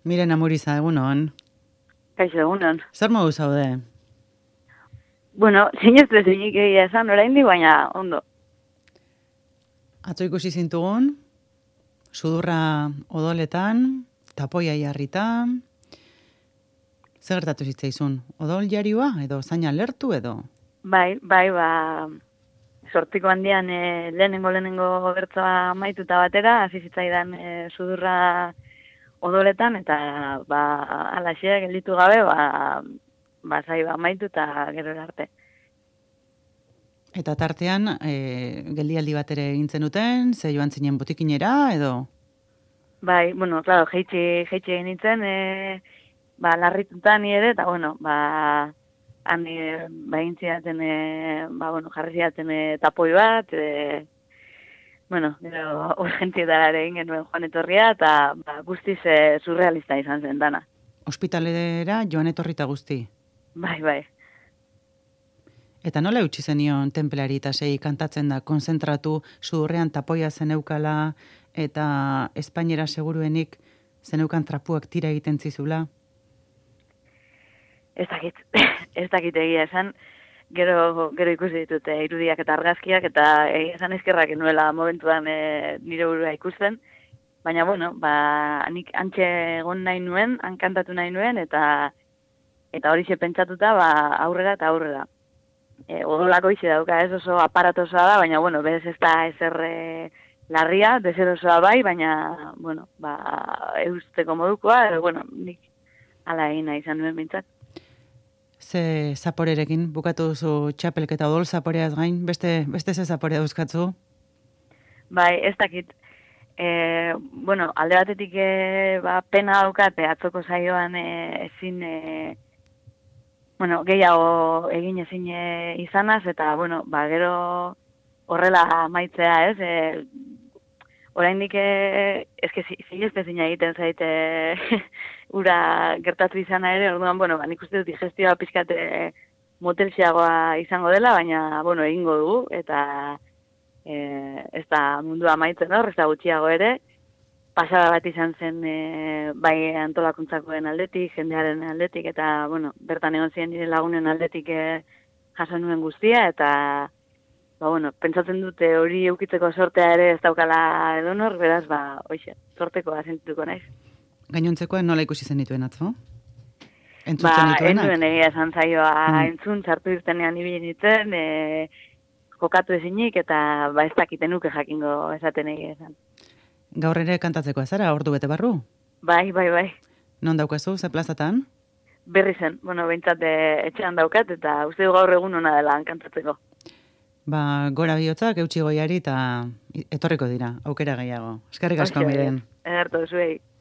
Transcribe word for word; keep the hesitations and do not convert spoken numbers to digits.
Miren Amuriza, egunon. Kaixo, egunon. Zer modu zaude? Bueno, sinestu ezinik egia esan, oraindik baina ondo. Atzo ikusi zintugun, sudurra odoletan, tapoia jarrita. Zer gertatu zitzaizun? Odol jarioa edo zaina lertu edo? Bai, bai, ba, sortiko handian e, lehenengo lehenengo bertsoa amaituta batera, hasi zitzaidan e, sudurra odoletan, eta ba, alaxe gelditu gabe, ba, ba, zai, ba, amaitu eta gero arte. Eta tartean, e, geldialdi bat ere egin zenuten, ze joan zinen botikinera edo? Bai, bueno, claro, jeitsi, jeitsi egin nintzen, e, ba, larrituta ni ere, eta bueno, ba, han e, ba, egin zidaten, e, ba, bueno, jarri zidaten e, tapoi bat, e, bueno, gero urgentietara ere egin genuen joan etorria, eta ba, guztiz e, surrealista izan zen dana. Ospitalera joan etorrita guzti. Bai, bai. Eta nola eutsi zenion tenpleari eta sei kantatzen da, konzentratu, sudurrean tapoia zeneukala, eta Espainiera seguruenik zeneukan trapuak tira egiten zizula? Ez dakit, ez dakit egia esan, gero, gero ikusi ditut e, irudiak eta argazkiak, eta egia esan eskerrak nuela momentuan e, nire burua ikusten, baina, bueno, ba, nik antxe egon nahi nuen, han kantatu nahi nuen, eta eta hori pentsatuta, ba, aurrera eta aurrera. E, odolako izi dauka, ez oso aparatosoa da, baina, bueno, bez ez da ezer e, larria, deserosoa bai, baina, bueno, ba, eusteko modukoa, edo, bueno, nik ala egin nahi izan nuen bintzat. Ze zaporerekin bukatu duzu txapelketa odol zaporeaz gain, beste, beste ze zaporea dauzkatzu? Bai, ez dakit. E, bueno, alde batetik e, ba, pena daukate atzoko saioan e, ezin... E, bueno, gehiago egin ezin e, izanaz, eta, bueno, ba, gero horrela maitzea, ez? E, oraindik e, eske zinezte zina egiten zaite ura gertatu izana ere, orduan, bueno, ba, nik uste dut digestioa pizkate motelxiagoa izango dela, baina, bueno, egingo dugu, eta e, ez da mundua maitzen hor, ez da gutxiago ere, pasada bat izan zen e, bai antolakuntzakoen aldetik, jendearen aldetik, eta, bueno, bertan egon ziren nire lagunen aldetik e, jaso nuen guztia, eta, ba, bueno, pentsatzen dute hori eukitzeko sortea ere ez daukala edonor, beraz, ba, oixe, sorteko sentituko naiz. Gainontzekoen nola ikusi zen dituen atzo? Entzuten Ba, dituenak? enuen egia esan zaioa Mm. entzun, sartu irtenean ibili nintzen, e, jokatu ezinik, eta ba, ez dakiten nuke jakingo esaten egia esan. Gaur ere kantatzeko azara, ordu bete barru? Bai, bai, bai. Non daukazu, ze plazatan? Berri zen, bueno, behintzat etxean daukat, eta uste du gaur egun ona dela kantatzeko. Ba, gora bihotzak, eutxi goiari, eta etorriko dira, aukera gehiago. Eskerrik asko, Miren. Ederto, zuei.